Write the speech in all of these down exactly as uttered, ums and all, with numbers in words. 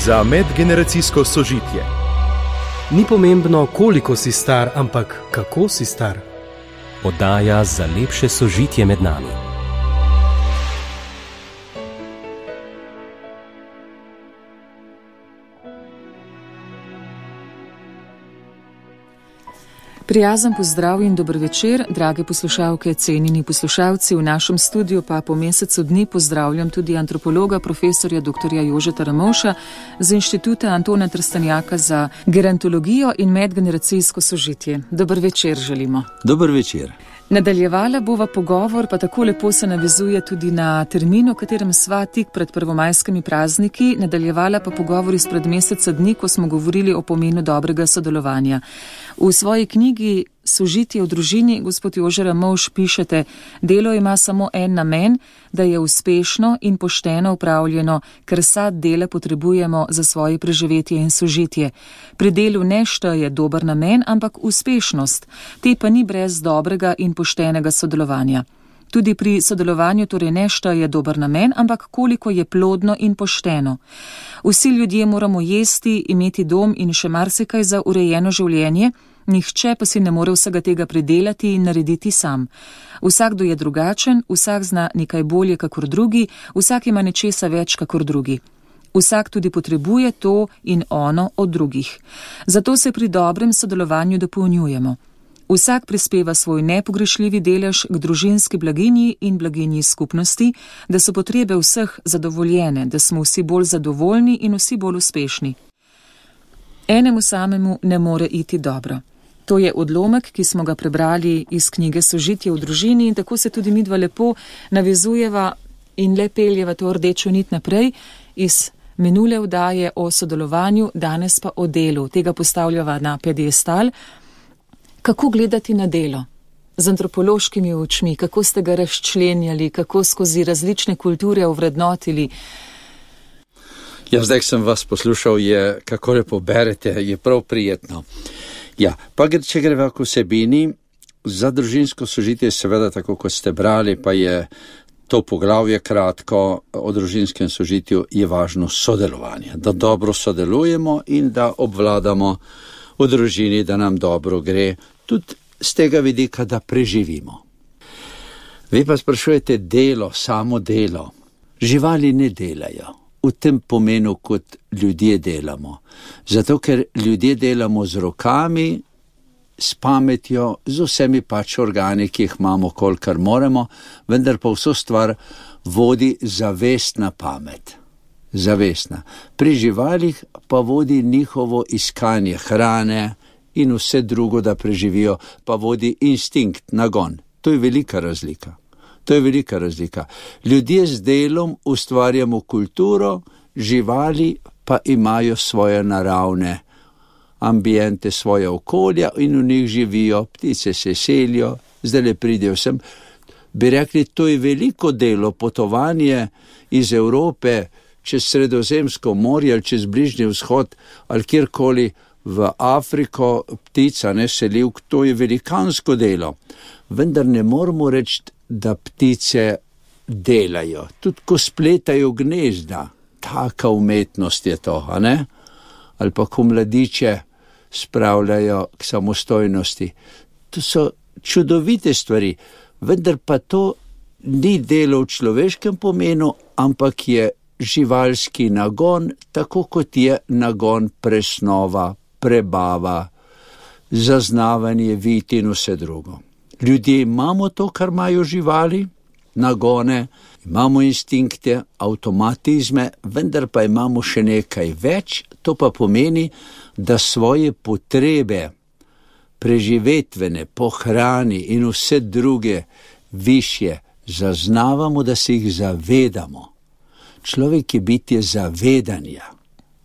za medgeneracijsko sožitje. Ni pomembno, koliko si star, ampak kako si star. Oddaja za lepše sožitje med nami. Prijazen pozdrav in dober večer, drage poslušalke, cenjeni poslušalci. V našem studiu pa po mesecu dni pozdravljam tudi antropologa, profesorja doktorja Jožeta Ramovša z Inštituta Antona Trstenjaka za gerontologijo in medgeneracijsko sožitje. Dober večer želimo. Dober večer. Nadaljevala bova pogovor, pa tako lepo se navezuje tudi na termin, o katerem sva tik pred prvomajskimi prazniki, nadaljevala pa pogovor izpred meseca dni, ko smo govorili o pomenu dobrega sodelovanja. V svoji knjigi Sožitje v družini, gospod Jože Ramovš, pišete: delo ima samo en namen, da je uspešno in pošteno upravljeno, ker sad dela potrebujemo za svoje preživetje in sožitje. Pri delu ne šteje dober namen, ampak uspešnost, te pa ni brez dobrega in poštenega sodelovanja. Tudi pri sodelovanju torej ne šteje dober namen, ampak koliko je plodno in pošteno. Vsi ljudje moramo jesti, imeti dom in še marsikaj za urejeno življenje, nihče pa si ne more vsega tega pridelati in narediti sam. Vsakdo je drugačen, vsak zna nekaj bolje kakor drugi, vsak ima nečesa več kakor drugi. Vsak tudi potrebuje to in ono od drugih. Zato se pri dobrem sodelovanju dopolnjujemo. Vsak prispeva svoj nepogrešljivi delež k družinski blaginji in blaginji skupnosti, da so potrebe vseh zadovoljene, da smo vsi bolj zadovoljni in vsi bolj uspešni. Enemu samemu ne more iti dobro. To je odlomek, ki smo ga prebrali iz knjige Sožitje v družini, in tako se tudi midva lepo navezujeva in le peljeva to rdečo nit naprej iz minule oddaje o sodelovanju, danes pa o delu. Tega postavljava na piedestal. Kako gledati na delo? Z antropološkimi očmi, kako ste ga razčlenjali, kako skozi različne kulture ovrednotili? Ja, zdaj sem vas poslušal, je, kako lepo berete, je prav prijetno. Ja, pa če greva k vsebini, za družinsko sožitje seveda, tako kot ste brali, pa je to poglavje kratko o družinskem sožitju, je važno sodelovanje, da dobro sodelujemo in da obvladamo v družini, da nam dobro gre, tudi z tega vidika, da preživimo. Vi pa sprašujete delo, samo delo. Živali ne delajo v tem pomenu, kot ljudje delamo. Zato, ker ljudje delamo z rokami, s pametjo, z vsemi pač organi, ki jih imamo, kolikor moremo, vendar pa vso stvar vodi zavestna pamet. Zavestna. Pri živalih pa vodi njihovo iskanje hrane in vse drugo, da preživijo, pa vodi instinkt, nagon. To je velika razlika. To je velika razlika. Ljudje z delom ustvarjamo kulturo, živali pa imajo svoje naravne ambiente, svoje okolja in v njih živijo, ptice se selijo, zdaj le pridejo sem. Bi rekli, to je veliko delo, potovanje iz Evrope čez Sredozemsko morje ali čez Bližnji vzhod ali kjerkoli v Afriko, ptica ne selivk, to je velikansko delo. Vendar ne moramo reči, da ptice delajo. Tudi ko spletajo gnezda, taka umetnost je to, a ne? Ali pa ko mladiče spravljajo k samostojnosti. To so čudovite stvari, vendar pa to ni delo v človeškem pomenu, ampak je živalski nagon, tako kot je nagon presnova, prebava, zaznavanje vid in vse drugo. Ljudje imamo to, kar imajo živali, nagone, imamo instinkte, avtomatizme, vendar pa imamo še nekaj več, to pa pomeni, da svoje potrebe, preživetvene, po hrani in vse druge višje zaznavamo, da se jih zavedamo. Človek je bitje zavedanja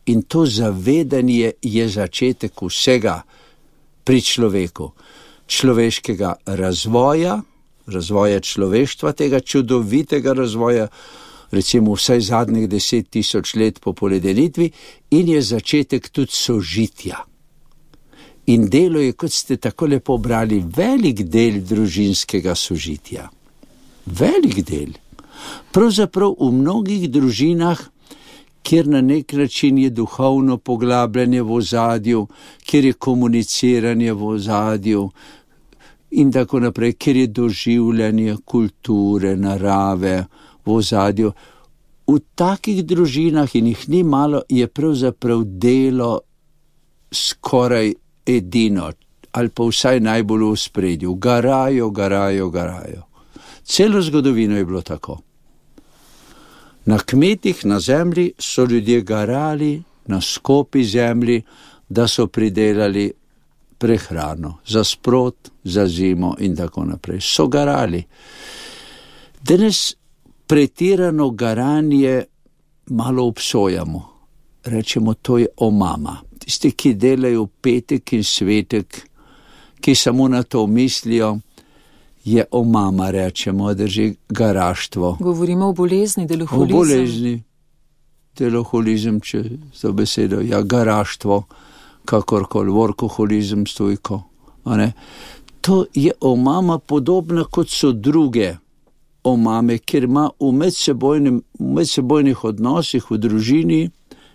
in to zavedanje je začetek vsega pri človeku. Človeškega razvoja, razvoja človeštva, tega čudovitega razvoja, recimo vsaj zadnjih deset tisoč let po poledenitvi, in je začetek tudi sožitja. In delo je, kot ste tako lepo brali, velik del družinskega sožitja. Velik del. Pravzaprav v mnogih družinah, kjer na nek način je duhovno poglabljanje v ozadju, kjer je komuniciranje v ozadju in tako naprej, kjer je doživljanje kulture, narave v ozadju. V takih družinah, in jih ni malo, je pravzaprav delo skoraj edino, ali pa vsaj najbolj v ospredju. Garajo, garajo, garajo. Celo zgodovino je bilo tako. Na kmetih, na zemlji so ljudje garali na skopi zemlji, da so pridelali prehrano za sprot, za zimo in tako naprej. So garali. Danes pretirano garanje malo obsojamo. Rečemo, to je omama. Tisti, ki delajo petek in svetek, ki samo na to mislijo, je omama, rečemo, drži garaštvo. Govorimo o bolezni, deloholizem. O bolezni, deloholizem, če to besedo, ja, garaštvo, kakorkoli, workoholizem, stojko. To je omama podobna, kot so druge omame, ker ima v, v medsebojnih odnosih v družini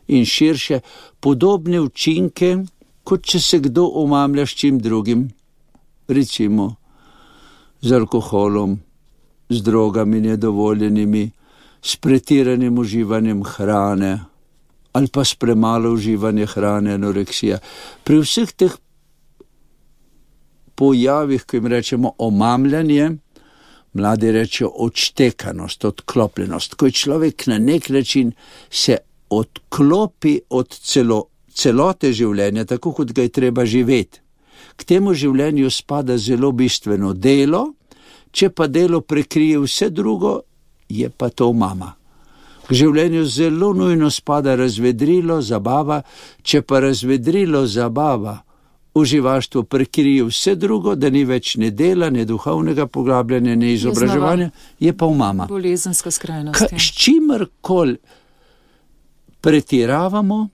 in širše podobne učinke, kot če se kdo omamlja s čim drugim, recimo z alkoholom, z drogami nedovoljenimi, s pretiranim uživanjem hrane ali pa s premalo uživanje hrane, anoreksija. Pri vseh teh pojavih, ko jim rečemo omamljanje, mladi rečejo odštekanost, odklopljenost, ko je človek na nek način se odklopi od celo, celote življenja, tako kot ga je treba živeti. K temu življenju spada zelo bistveno delo, če pa delo prekrije vse drugo, je pa to mama. K življenju zelo nujno spada razvedrilo, zabava, če pa razvedrilo, zabava, uživaštvo prekrije vse drugo, da ni več ne dela, ne duhovnega poglabljanja, ne izobraževanja, je pa mama. Bolezenska skrajnost. Ka, s čimerkoli pretiravamo,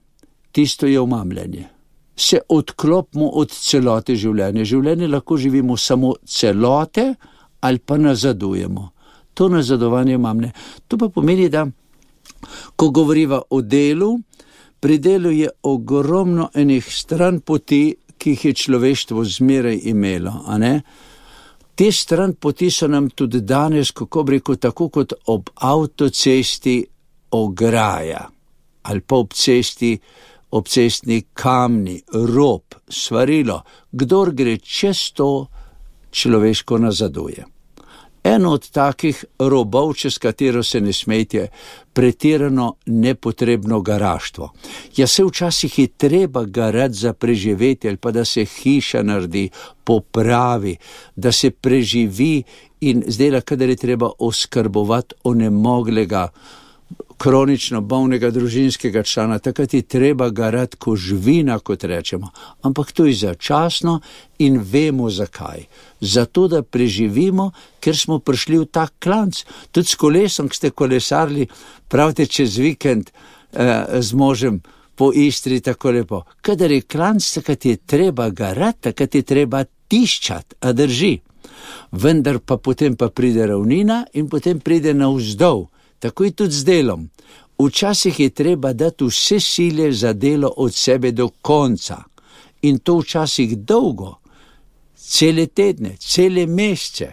tisto je omamljanje. Se odklopimo od celote življenja. Življenje lahko živimo samo celote ali pa nazadujemo. To nazadovanje omamne. To pa pomeni, da ko govoriva o delu, pri delu je ogromno enih stran poti, ki jih je človeštvo zmeraj imelo. A ne? Te stran poti so nam tudi danes, kako bi rekel, tako kot ob avtocesti ograja ali pa ob cesti obcestni kamni, rob, svarilo, kdor gre čez to, človeško nazaduje. Eno od takih robov, čez katero se ne smejte, pretirano nepotrebno garaštvo. Ja, se včasih je treba garati za preživetje, ali pa da se hiša naredi, popravi, da se preživi in zdaj, kadar je treba oskrbovati onemoglega, kronično bolnega družinskega člana, takrat je treba garati ko živina, kot rečemo. Ampak to je začasno in vemo zakaj. Zato, da preživimo, ker smo prišli v tak klanc. Tudi s kolesom, ki ste kolesarili, pravite čez vikend eh, z možem po Istri, tako lepo. Kadar je klanc, takrat je treba garati, takrat je treba tiščati, a drži. Vendar pa potem pa pride ravnina in potem pride navzdol. Tako je tudi z delom. Včasih je treba dati vse sile za delo od sebe do konca. In to včasih dolgo, cele tedne, cele mesece,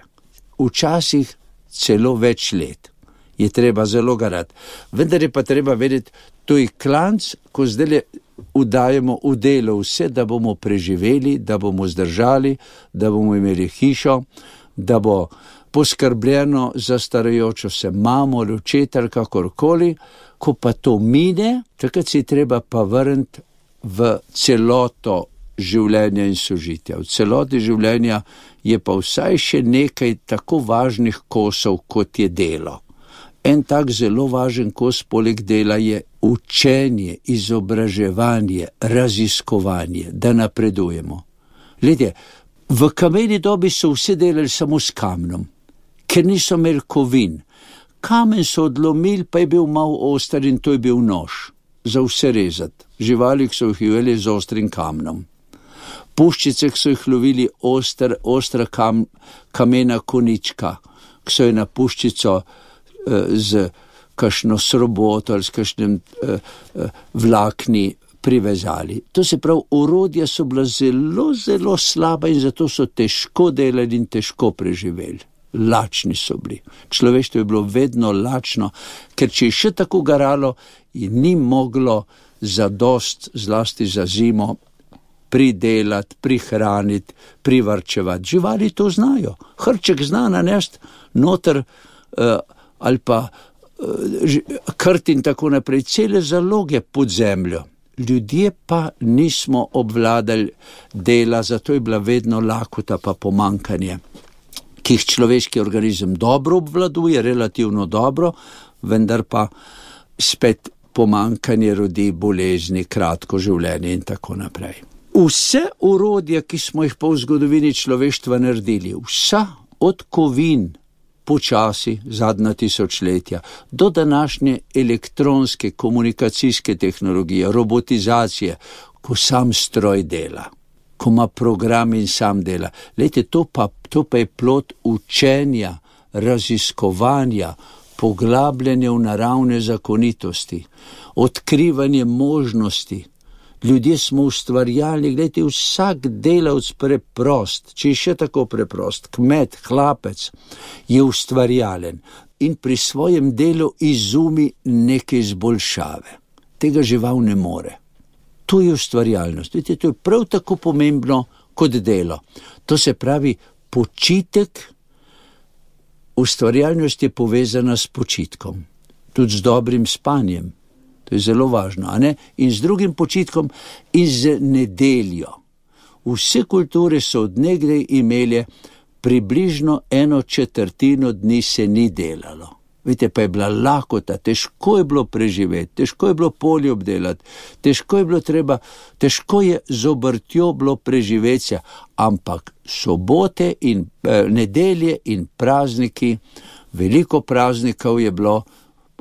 včasih celo več let. Je treba zelo garati. Vendar je pa treba vedeti, to je klanc, ko zdaj udajemo v delo vse, da bomo preživeli, da bomo zdržali, da bomo imeli hišo, da bo poskrbljeno za starajočo se mamo, očeta, kakorkoli. Ko pa to mine, takrat si treba pa vrniti v celoto življenja in sožitja. V celoti življenja je pa vsaj še nekaj tako važnih kosov, kot je delo. En tak zelo važen kos poleg dela je učenje, izobraževanje, raziskovanje, da napredujemo. Glede, v kameni dobi so vse delali samo s kamnom, ker niso imeli kovin. Kamen so odlomili, pa je bil mal oster in to je bil nož za vse rezati. Živali so jih ujeli z ostrim kamnom. Puščice so jih lovili oster, ostra kam, kamena konička, ki so jo na puščico eh, z kakšno sroboto ali s kakšnim uh, uh, vlakni privezali. To se pravi, orodja so bila zelo, zelo slaba in zato so težko delali in težko preživeli. Lačni so bili. Človeštvo je bilo vedno lačno, ker če je še tako garalo, ni moglo zadost, zlasti za zimo, pridelati, prihraniti, privarčevati. Živali to znajo. Hrček zna nanesti noter uh, ali pa uh, krt in tako naprej, cele zaloge pod zemljo. Ljudje pa nismo obvladali dela, zato je bila vedno lakota pa pomankanje, ki jih človeški organizem dobro obvladuje, relativno dobro, vendar pa spet pomankanje rodi bolezni, kratko življenje in tako naprej. Vse orodja, ki smo jih pa v zgodovini človeštva naredili, vsa od kovin, počasi, zadnja tisočletja, do današnje elektronske komunikacijske tehnologije, robotizacije, ko sam stroj dela, ko ima program in sam dela. Lejte, to pa, to pa je plod učenja, raziskovanja, poglabljanja v naravne zakonitosti, odkrivanje možnosti. Ljudje smo ustvarjalni, gledajte, vsak delavc preprost, če je še tako preprost, kmet, hlapec, je ustvarjalen in pri svojem delu izumi neke izboljšave. Tega žival ne more. To je ustvarjalnost. Vidite, to je prav tako pomembno kot delo. To se pravi, počitek, ustvarjalnost je povezana s počitkom, tudi z dobrim spanjem. To je zelo važno, a ne? In z drugim počitkom in z nedeljo. Vse kulture so od nekdaj imele približno eno četrtino dni se ni delalo. Vidite, pa je bila lakota, težko je bilo preživeti, težko je bilo polje obdelati, težko je bilo treba, težko je z obrtjo bilo preživeti, ampak sobote in eh, nedelje in prazniki, veliko praznikov je bilo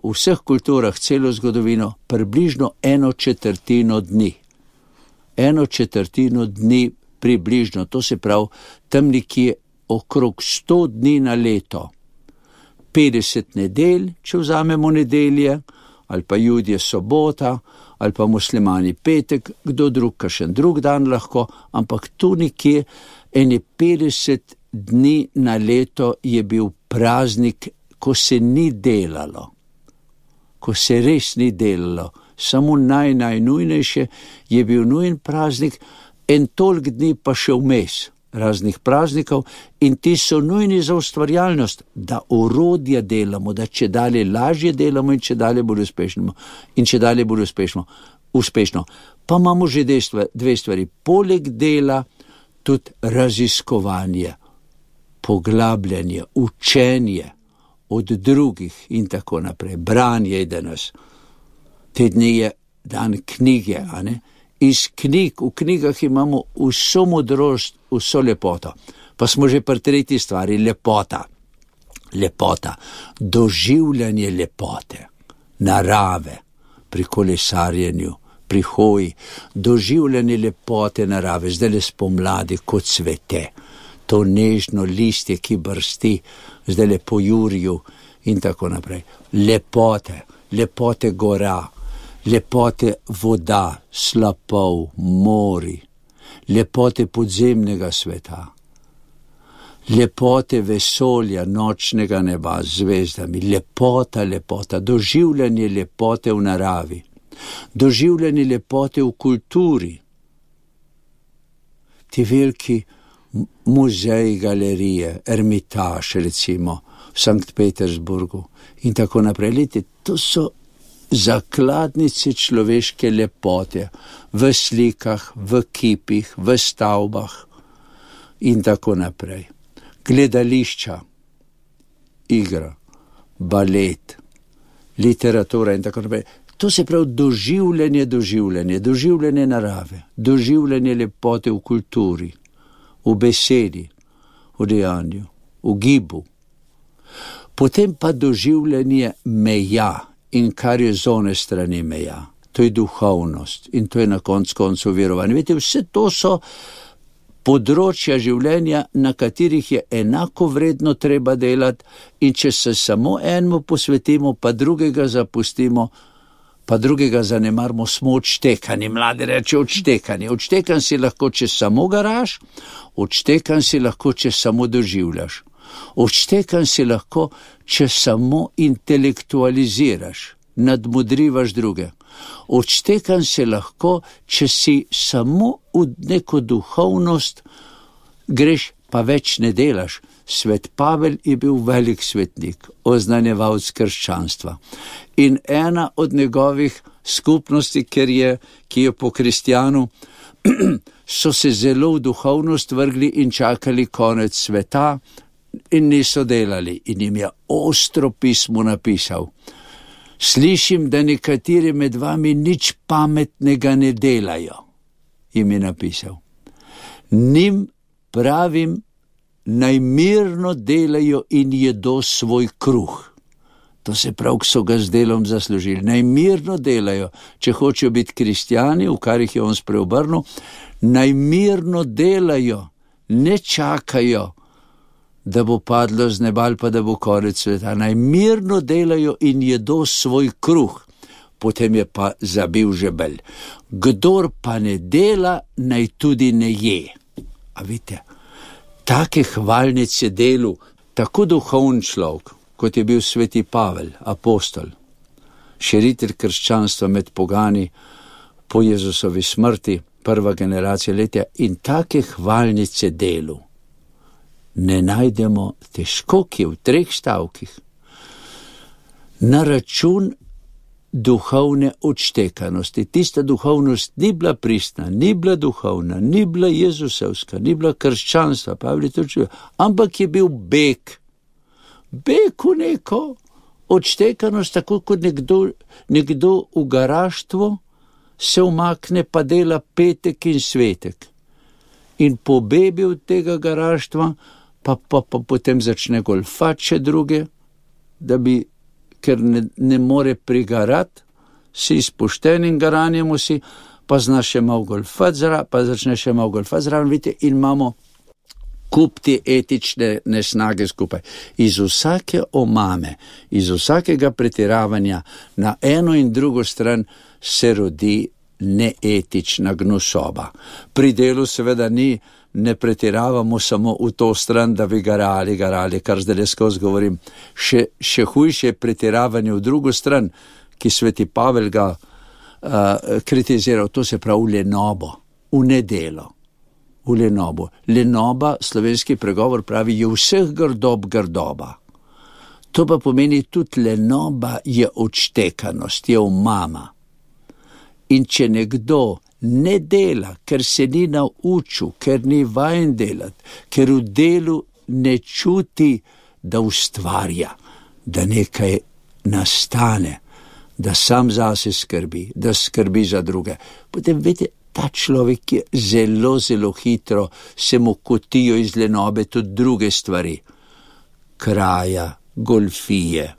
v vseh kulturah, celo zgodovino, približno eno četrtino dni. Eno četrtino dni približno, to se pravi, tam nekje okrog sto dni na leto. petdeset nedelj, če vzamemo nedelje, ali pa Judje sobota, ali pa muslimani petek, kdo drug, kakšen drug dan lahko, ampak tu nekje ene petdeset dni na leto je bil praznik, ko se ni delalo. Ko se res ni delalo, samo naj, najnujnejše je bil nujen praznik, en toliko dni pa še vmes raznih praznikov in ti so nujni za ustvarjalnost, da orodja delamo, da če dalje lažje delamo in če dalje bolj uspešno. In če dalje bolj uspešno. uspešno. Pa imamo že dve stvari. Poleg dela tudi raziskovanje, poglabljanje, učenje od drugih in tako naprej. Branje je danes. Te dni je dan knjige, a ne? Iz knjig, v knjigah imamo vso modrost, vso lepoto. Pa smo že pri tretji stvari, lepota. Lepota, doživljanje lepote, narave, pri kolesarjenju, pri hoji, doživljanje lepote narave, zdaj le spomladi, kot cvete, to nežno listje, ki brsti, zdaj le po jurju in tako naprej. Lepote, lepote gora, lepote voda, slapov, mori, lepote podzemnega sveta, lepote vesolja, nočnega neba z zvezdami, lepota, lepota, doživljanje lepote v naravi, doživljanje lepote v kulturi, ti veliki muzeji, galerije, Ermitaž recimo v Sankt Petersburgu in tako naprej. Lete, to so zakladnice človeške lepote v slikah, v kipih, v stavbah in tako naprej. Gledališča, igra, balet, literatura in tako naprej. To se pravi doživljanje, doživljanje, doživljanje narave, doživljanje lepote v kulturi, v besedi, v dejanju, v gibu. Potem pa doživljanje meja in kar je z one strani meja. To je duhovnost in to je na koncu koncu verovanje. Veste, vse to so področja življenja, na katerih je enako vredno treba delati, in če se samo enemu posvetimo, pa drugega zapustimo, pa drugega zanemarimo, smo odštekani. Mladi reče odštekani. Odštekan si lahko, če samo garaš, odštekan si lahko, če samo doživljaš. Odštekan si lahko, če samo intelektualiziraš, nadmudrivaš druge. Odštekan si lahko, če si samo v neko duhovnost greš, pa več ne delaš. Svet Pavel je bil velik svetnik, oznanjevalec krščanstva. In ena od njegovih skupnosti, ker je, ki je po kristjanu, so se zelo v duhovnost vrgli in čakali konec sveta in niso delali. In jim je ostro pismo napisal. Slišim, da nekateri med vami nič pametnega ne delajo, jim je napisal. Njim pravim, naj mirno delajo in jedo svoj kruh. To se prav, ki so ga z delom zaslužili. Naj mirno delajo, če hočejo biti kristjani, v kar jih je on spreobrnil, naj mirno delajo, ne čakajo, da bo padlo z neba ali pa da bo konec sveta. Naj mirno delajo in jedo svoj kruh. Potem je pa zabil žebelj. Kdor pa ne dela, naj tudi ne je. A vidite, take hvalnice delu, tako duhovn človek, kot je bil sveti Pavel, apostol, širitelj krščanstva med pogani po Jezusovi smrti, prva generacija letja, in take hvalnice delu ne najdemo težko, ki je v treh stavkih, na račun duhovne odštekanosti. Tista duhovnost ni bila pristna, ni bila duhovna, ni bila jezusovska, ni bila krščanstva, Pavel je to čuval, ampak je bil beg. Beg v neko odštekanost, tako kot nekdo, nekdo v garaštvo se umakne pa dela petek in svetek. In pobebi od tega garaštva, pa, pa, pa potem začne golfati še druge, da bi, ker ne, ne more prigarati, si izpušten in garanjemo si, pa zna še malo golfati zraven, pa začne še malo golfati zraven, vidite, in imamo kup te etične nesnage skupaj. Iz vsake omame, iz vsakega pretiravanja na eno in drugo stran se rodi neetična gnusoba. Pri delu seveda ni, ne pretiravamo samo v to stran, da bi garali, garali, kar zdaj skozi govorim. Še, še hujše je pretiravanje v drugo stran, ki sveti Pavel ga uh, kritiziral, to se pravi lenobo, v nedelo, v lenobo. Lenoba, slovenski pregovor pravi, je vseh grdob grdoba. To pa pomeni tudi lenoba je odštekanost, je omama. In če nekdo ne dela, ker se ni naučil, ker ni vajen delati, ker v delu ne čuti, da ustvarja, da nekaj nastane, da sam zase skrbi, da skrbi za druge. Potem, vidite, ta človek je zelo, zelo hitro, se mu kotijo iz lenobe tudi druge stvari. Kraja, golfije,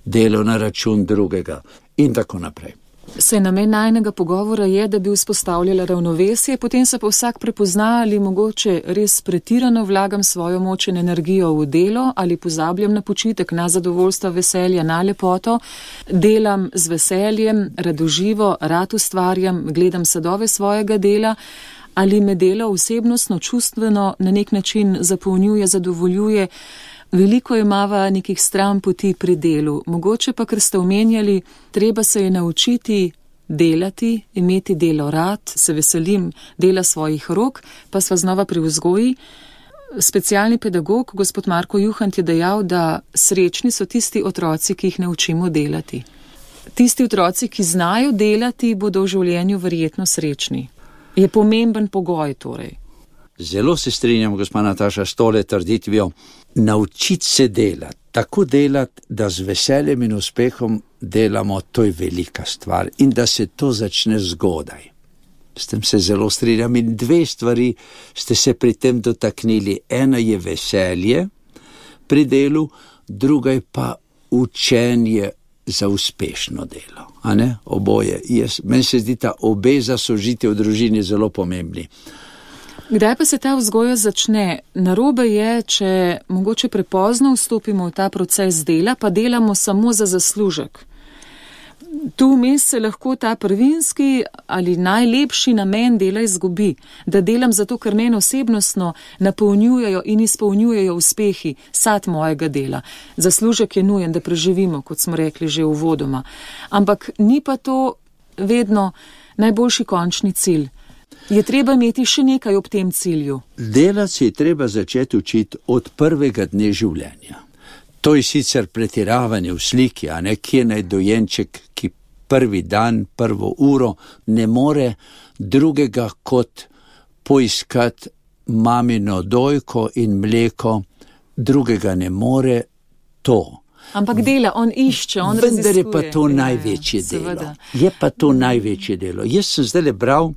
delo na račun drugega in tako naprej. Saj namen najnega pogovora je, da bi vzpostavljala ravnovesje, potem se pa vsak prepozna, ali mogoče res pretirano vlagam svojo moč in energijo v delo, ali pozabljam na počitek, na zadovoljstvo, veselja, na lepoto, delam z veseljem, radoživo, rad ustvarjam, gledam sadove svojega dela, ali me delo osebnostno, čustveno na nek način zapolnjuje, zadovoljuje. Veliko imava nekih stran poti pri delu, mogoče pa, ker ste omenjali, treba se je naučiti delati, imeti delo rad, se veselim dela svojih rok, pa sva znova pri vzgoji. Specialni pedagog, gospod Marko Juhant, je dejal, da srečni so tisti otroci, ki jih naučimo delati. Tisti otroci, ki znajo delati, bodo v življenju verjetno srečni. Je pomemben pogoj torej. Zelo se strinjam, gospa Nataša, s tole trditvijo. Naučiti se delati, tako delati, da z veseljem in uspehom delamo, to je velika stvar in da se to začne zgodaj. S tem se zelo strinjam in dve stvari ste se pri tem dotaknili. Ena je veselje pri delu, druga je pa učenje za uspešno delo. A ne? Oboje. Jaz, meni se zdi ta obe za sožitje v družini zelo pomembni. Kdaj pa se ta vzgoja začne? Narobe je, če mogoče prepozno vstopimo v ta proces dela, pa delamo samo za zaslužek. Tu vmes se lahko ta prvinski ali najlepši namen dela izgubi, da delam zato, ker mene osebnostno napolnjujejo in izpolnjujejo uspehi, sad mojega dela. Zaslužek je nujen, da preživimo, kot smo rekli že uvodoma. Ampak ni pa to vedno najboljši končni cilj. Je treba imeti še nekaj ob tem cilju. Delati je treba začeti učiti od prvega dne življenja. To je sicer pretiravanje v sliki, a ne, kje naj dojenček, ki prvi dan, prvo uro ne more drugega kot poiskati mamino dojko in mleko, drugega ne more to. Ampak dela, on išče, on raziskuje. Vendar je pa to največje delo. Je pa to največje delo. Jaz sem zdaj bral,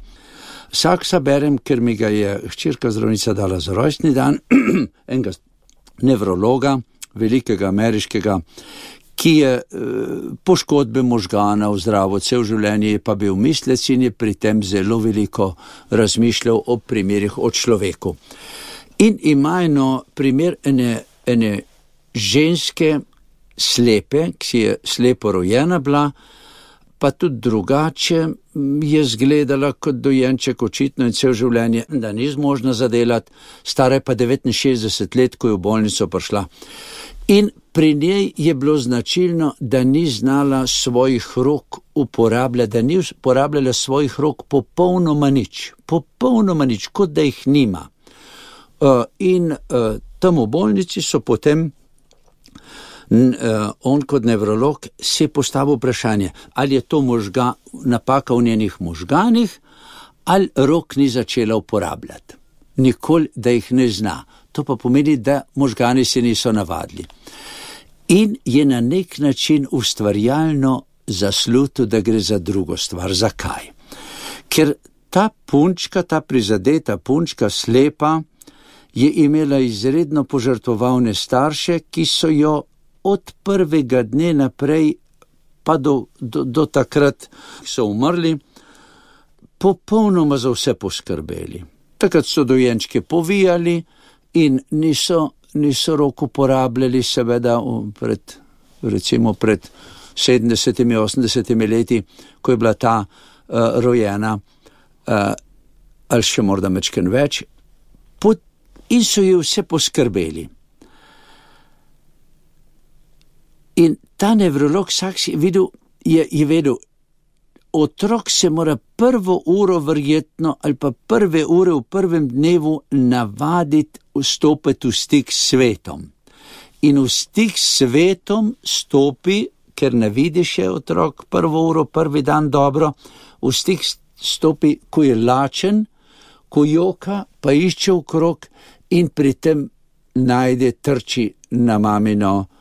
Saksa berem, ker mi ga je hčerka zdravnica dala za rojstni dan, enega nevrologa, velikega ameriškega, ki je poškodbe možgana v zdravo cel življenje, je pa bil mislec in je pri tem zelo veliko razmišljal o primerih o človeku. In ima eno primer ene, ene ženske slepe, ki je slepo rojena bila, pa tudi drugače je zgledala kot dojenček očitno in cel življenje, da ni zmožna zadelati, stara je pa devetinšestdeset let, ko je v bolnico prišla. In pri njej je bilo značilno, da ni znala svojih rok uporabljati, da ni uporabljala svojih rok popolnoma nič, popolnoma nič, kot da jih nima. Uh, in uh, tam v bolnici so potem on kot nevrolog si je postavil vprašanje, ali je to možga, napaka v njenih možganih, ali rok ni začela uporabljati. Nikoli, da jih ne zna. To pa pomeni, da možgani se niso navadili. In je na nek način ustvarjalno zaslutil, da gre za drugo stvar. Zakaj? Ker ta punčka, ta prizadeta punčka, slepa, je imela izredno požrtvovalne starše, ki so jo od prvega dne naprej, pa do, do, do takrat so umrli, popolnoma za vse poskrbeli. Takrat so dojenčke povijali in niso, niso rok uporabljali, seveda pred, recimo pred sedemdesetimi, osemdesetimi leti, ko je bila ta uh, rojena, uh, ali še morda mečken več, pot, in so ji vse poskrbeli. In ta nevrolog Saks je videl, je, je vedel, otrok se mora prvo uro verjetno ali pa prve ure v prvem dnevu navaditi vstopiti v stik s svetom. In v stik s svetom stopi, ker ne vidi še otrok prvo uro, prvi dan dobro, v stik stopi, ko je lačen, ko joka, pa išče okrog in pri tem najde, trči na mamino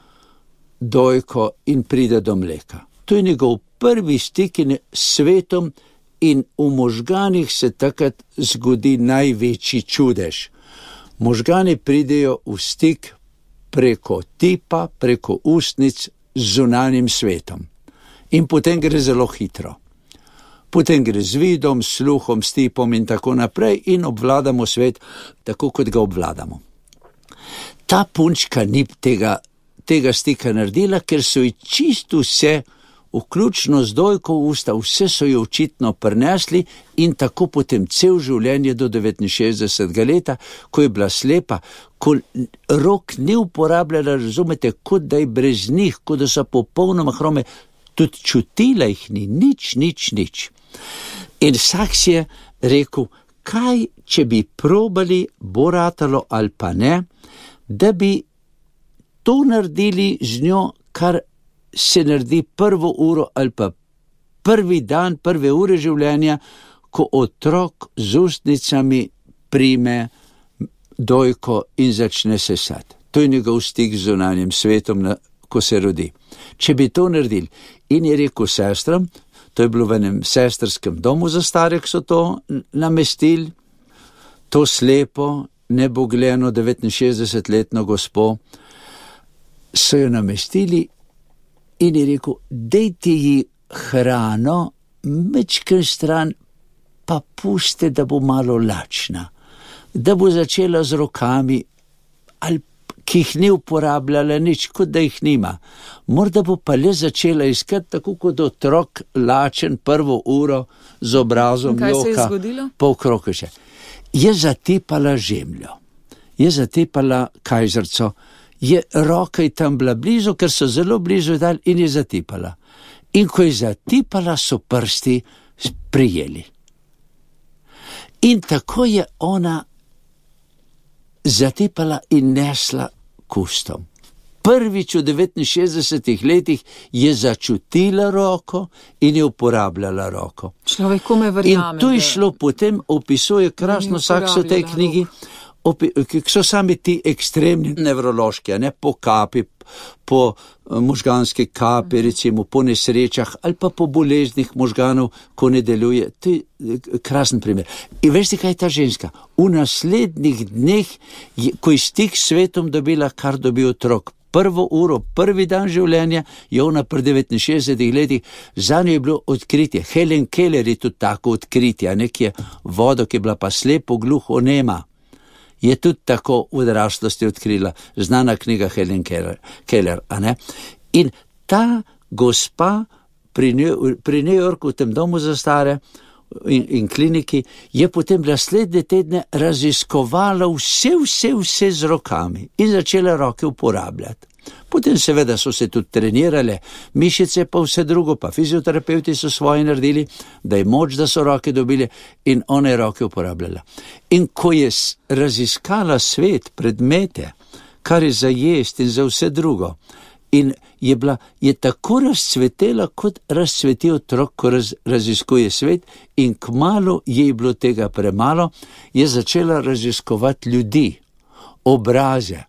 dojko in pride do mleka. To je njegov prvi stik s svetom in v možganih se takrat zgodi največji čudež. Možgani pridejo v stik preko tipa, preko ustnic z zunanjim svetom. In potem gre zelo hitro. Potem gre z vidom, sluhom, s tipom in tako naprej in obvladamo svet tako, kot ga obvladamo. Ta punčka ni tega tega stika naredila, ker so ji čisto vse, vključno z dojko v usta, vse so jo očitno prinesli in tako potem cel življenje do devetinšestdesetega leta, ko je bila slepa, ko rok ni uporabljala, razumete, kot da je brez njih, kot da so popolnoma hrome, tudi čutila jih ni, nič, nič, nič. In Saks je rekel, kaj, če bi probali, bo ratalo ali pa ne, da bi to naredili z njo, kar se naredi prvo uro ali pa prvi dan, prve ure življenja, ko otrok z ustnicami prime dojko in začne sesati. To je njegov stik z zunanjim svetom, ko se rodi. Če bi to naredili, in je rekel sestram, to je bilo v enem sestrskem domu za stare, ki so to namestili, to slepo, nebogljeno devetinšestdesetletno gospo, so jo namestili in je rekel, dejte ji hrano, mečken stran, pa puste, da bo malo lačna. da bo začela z rokami, ali ki jih ni uporabljala nič, kot da jih nima. Morda bo pa le začela iskati, tako kot otrok lačen prvo uro z obrazom joka. Kaj se je zgodilo? Pol krokeše. Je zatepala žemljo, je zatepala kajzerco, je roka tam bila blizu, ker so zelo blizu dal in je zatepala. In ko je zatepala, so prsti prijeli. In tako je ona zatepala in nesla k ustom. Prvič v devetinšestdesetih letih je začutila roko in je uporabljala roko. Človek kome verjame. In to je šlo, potem opisuje krasno sakso tej knjigi, ki so sami ti ekstremni nevrološki, ne, po kapi, po možganski kapi, recimo po nesrečah ali pa po boleznih možganov, ko ne deluje. To je krasen primer. In veste, kaj je ta ženska? V naslednjih dneh, ko je stik s svetom dobila, kar dobi otrok, prvo uro, prvi dan življenja, je ona pri devetinšestdesetih letih, za njo je bilo odkritje. Helen Keller je tudi tako odkritje, nekje vodo, ki je bila pa slepo, gluho, nema. Je tudi tako v odraslosti odkrila, znana knjiga Helen Keller, a ne? In ta gospa pri, New, pri New Yorku, v tem domu za stare in, in kliniki, je potem naslednje tedne raziskovala vse, vse, vse z rokami in začela roke uporabljati. Potem seveda so se tudi trenirale mišice, pa vse drugo, pa fizioterapeuti so svoje naredili, da je moč, da so roke dobili in ona je roke uporabljala. In ko je raziskala svet, predmete, kar je za jest in za vse drugo, in je, bila, je tako razcvetela, kot razcveti otrok, ko raz, raziskuje svet, in kmalu je bilo tega premalo, je začela raziskovati ljudi, obraze.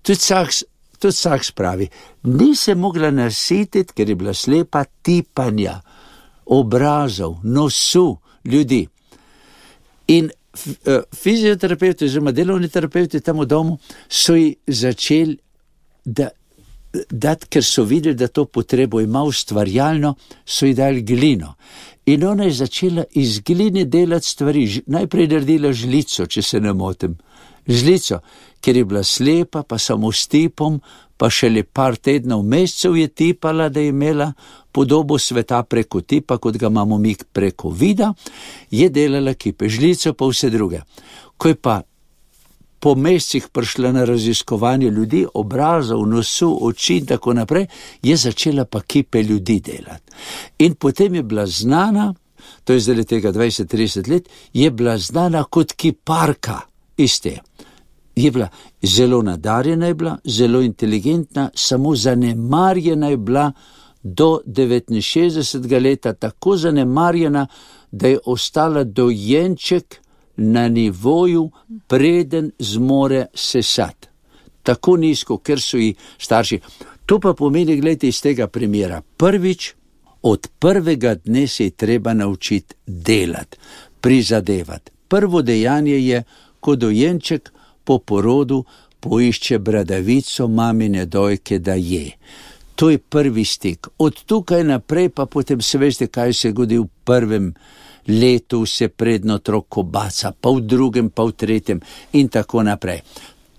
Tudi saks, tudi saks pravi, ni se mogla nasititi, ker je bila slepa, tipanja, obrazov, nosu ljudi. In fizioterapeuti, oziroma delovni terapeuti tam v domu, so ji začeli, da dati, ker so videli, da to potrebo ima ustvarjalno, so ji dali glino. In ona je začela iz gline delati stvari. Najprej naredila žlico, če se ne motim. Žlico, ker je bila slepa, pa samo s tipom, pa šele par tednov, mesecev je tipala, da je imela podobo sveta preko tipa, kot ga imamo mi preko vida, je delala kipe, žlico pa vse druge. Ko je pa po mesecih prišla na raziskovanje ljudi, obrazov, nosu, oči in tako naprej, je začela pa kipe ljudi delati. In potem je bila znana, to je zdaj tega dvajset trideset let, je bila znana kot kiparka iz te. Je bila zelo nadarjena, je bila zelo inteligentna, samo zanemarjena je bila do devetinšestdesetega leta, tako zanemarjena, da je ostala dojenček na nivoju, preden zmore sesati. Tako nizko, ker so ji starši. To pa pomeni, gledajte, iz tega primera. Prvič, od prvega dne se je treba naučiti delati, prizadevati. Prvo dejanje je, ko dojenček po porodu poišče bradavico mamine dojke, da je. To je prvi stik. Od tukaj naprej pa potem se veste, kaj se godi v prvem letu, se predno otrok kobaca, pa v drugem, pa v tretjem in tako naprej.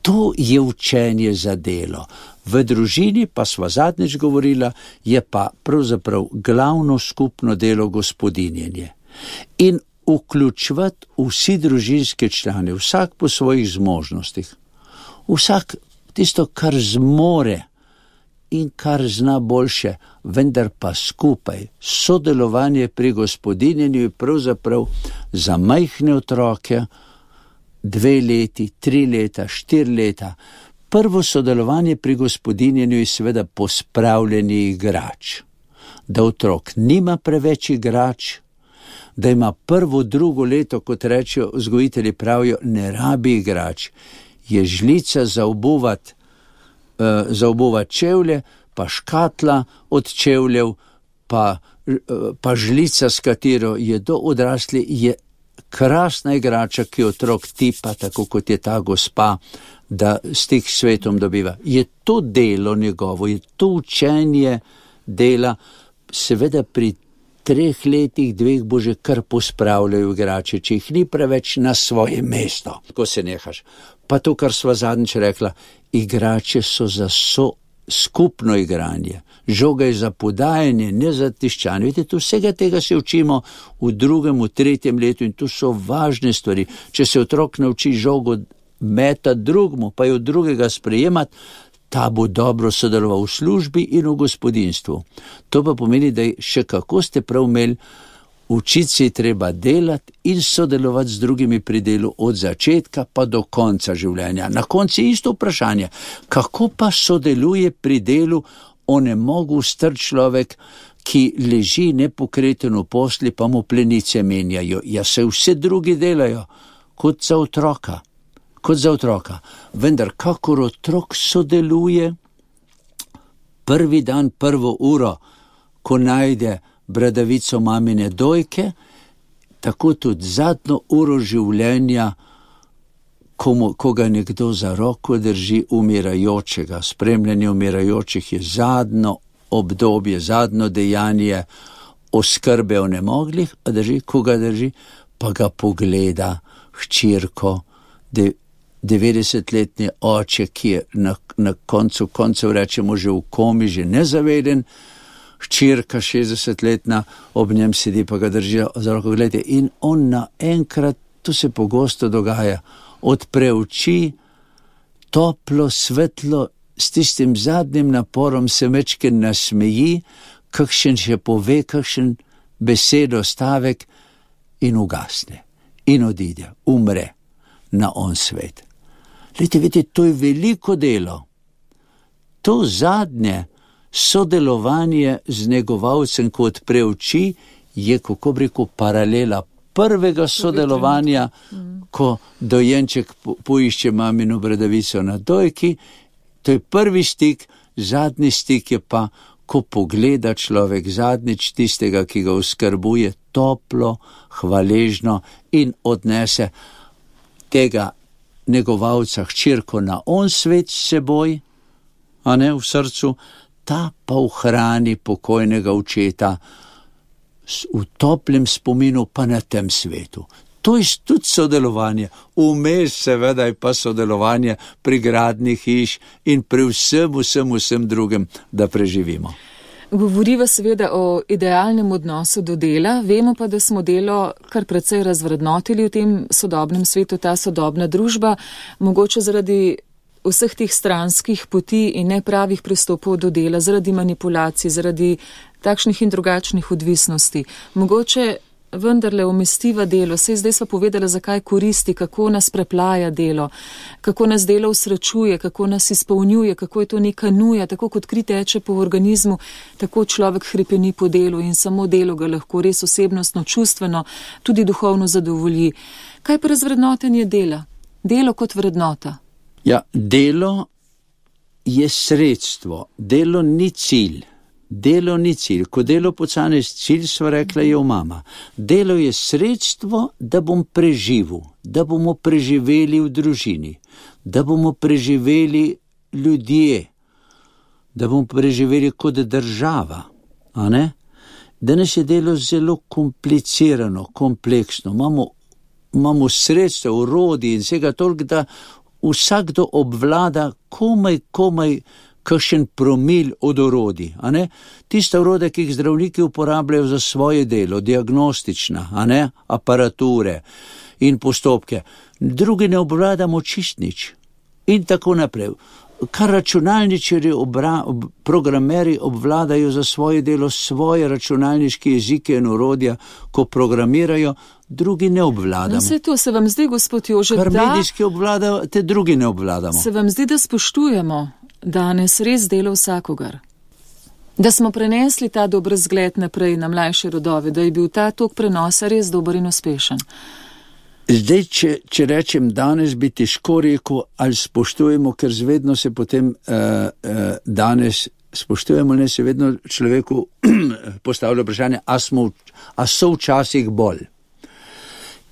To je učenje za delo. V družini, pa sva zadnjič govorila, je pa pravzaprav glavno skupno delo gospodinjenje. In vključevati vsi družinske člane, vsak po svojih zmožnostih, vsak tisto, kar zmore in kar zna boljše, vendar pa skupaj. Sodelovanje pri gospodinjenju je pravzaprav za majhne otroke, dve leti, tri leta, štiri leta. Prvo sodelovanje pri gospodinjenju je seveda pospravljanje igrač. Da otrok nima preveč igrač, da ima prvo, drugo leto, kot rečejo vzgojitelji pravijo, ne rabi igrač. Je žlica za obuvati, uh, za obuvati čevlje, pa škatla od čevljev, pa, uh, pa žlica, s katero je do odrasli, je krasna igrača, ki otrok tipa, tako kot je ta gospa, da stik s svetom dobiva. Je to delo njegovo, je to učenje dela, seveda pri treh letih, dveh bo že kar pospravljajo igrače, če jih ni preveč na svoje mesto. Ko se nehaš. Pa to, kar sva zadnjič rekla, igrače so za so skupno igranje. Žoga je za podajanje, ne za tiščanje. Vidite, tu vsega tega se učimo v drugem, v tretjem letu in tu so važne stvari. Če se otrok nauči žogo metati drugmu, pa jo drugega sprejemati, ta bo dobro sodeloval v službi in v gospodinstvu. To pa pomeni, da še kako ste prav imeli, učiti se je treba delati in sodelovati z drugimi pri delu od začetka pa do konca življenja. Na koncu je isto vprašanje, kako pa sodeluje pri delu onemogel star človek, ki leži nepokreten v posli, pa mu plenice menjajo. Ja, se vse drugi delajo kot za otroka. Kot za otroka. Vendar, kakor otrok sodeluje, prvi dan, prvo uro, ko najde bradavico mamine dojke, tako tudi zadnjo uro življenja, ko, mu, ko ga nekdo za roko drži umirajočega. Spremljanje umirajočih je zadnjo obdobje, zadnjo dejanje oskrbe onemoglih, a drži, ko ga drži, pa ga pogleda hčerko, de, devetdesetletni oče, ki je na, na koncu koncev rečemo že v komi, že nezaveden, hčerka šestdesetletna ob njem sedi, pa ga drži za roko, gledajte, in on naenkrat, to se pogosto dogaja, odpre oči, toplo, svetlo, s tistim zadnjim naporom se mečken nasmeji, kakšen še pove, kakšen besedo, stavek in ugasne. In odide, umre na on svet. Lejte, vidite, to je veliko delo. To zadnje sodelovanje z negovalcem, ko odpre oči, je, kako bi rekel, paralela prvega sodelovanja, ko dojenček po, poišče mamino bradavico na dojki. To je prvi stik, zadnji stik je pa, ko pogleda človek zadnjič tistega, ki ga oskrbuje, toplo, hvaležno in odnese tega negovalca hčerko na on svet s seboj, a ne v srcu, ta pa v hrani pokojnega očeta v toplem spominu pa na tem svetu. To je tudi sodelovanje. Vmes seveda je pa sodelovanje pri gradnji hiš in pri vsem, vsem, vsem drugem, da preživimo. Govoriva seveda o idealnem odnosu do dela, vemo pa, da smo delo kar precej razvrednotili v tem sodobnem svetu, ta sodobna družba, mogoče zaradi vseh teh stranskih poti in nepravih pristopov do dela, zaradi manipulacij, zaradi takšnih in drugačnih odvisnosti. Mogoče vendarle umestiva delo, saj zdaj sva povedala, zakaj koristi, kako nas preplaja delo, kako nas delo usrečuje, kako nas izpolnjuje, kako je to neka nuja, tako kot kri teče po organizmu, tako človek hrepeni po delu in samo delo ga lahko res osebnostno, čustveno, tudi duhovno zadovolji. Kaj pa razvrednotenje dela? Delo kot vrednota. Ja, delo je sredstvo, delo ni cilj. Delo ni cilj. Ko delo postane cilj, sva rekla, je mama. Delo je sredstvo, da bom preživel, da bomo preživeli v družini, da bomo preživeli ljudje, da bomo preživeli kot država. A ne? Danes je delo zelo komplicirano, kompleksno. Imamo, imamo sredstva, orodje in vsega toliko, da vsakdo obvlada komaj, komaj kakšen promil od orodij, a ne? Tista orodja, ki jih zdravniki uporabljajo za svoje delo, diagnostična, a ne? Aparature in postopke. Drugi ne obvladamo čist nič. In tako naprej. Kar računalničari, obra, ob, programeri obvladajo za svoje delo svoje računalniške jezike in orodja, ko programirajo, drugi ne obvladamo. No, se to se vam zdi, gospod Jože, kar da... Kar medijski obvladajo, te drugi ne obvladamo. Se vam zdi, da spoštujemo danes res delo vsakogar? Da smo prenesli ta dober zgled naprej na mlajše rodove, da je bil ta tok prenosa res dober in uspešen? Zdaj, če, če rečem danes, bi težko rekel, ali spoštujemo, ker zvedno se potem uh, uh, danes spoštujemo, ne se vedno človeku postavlja vprašanje, a, smo, a so včasih bolj.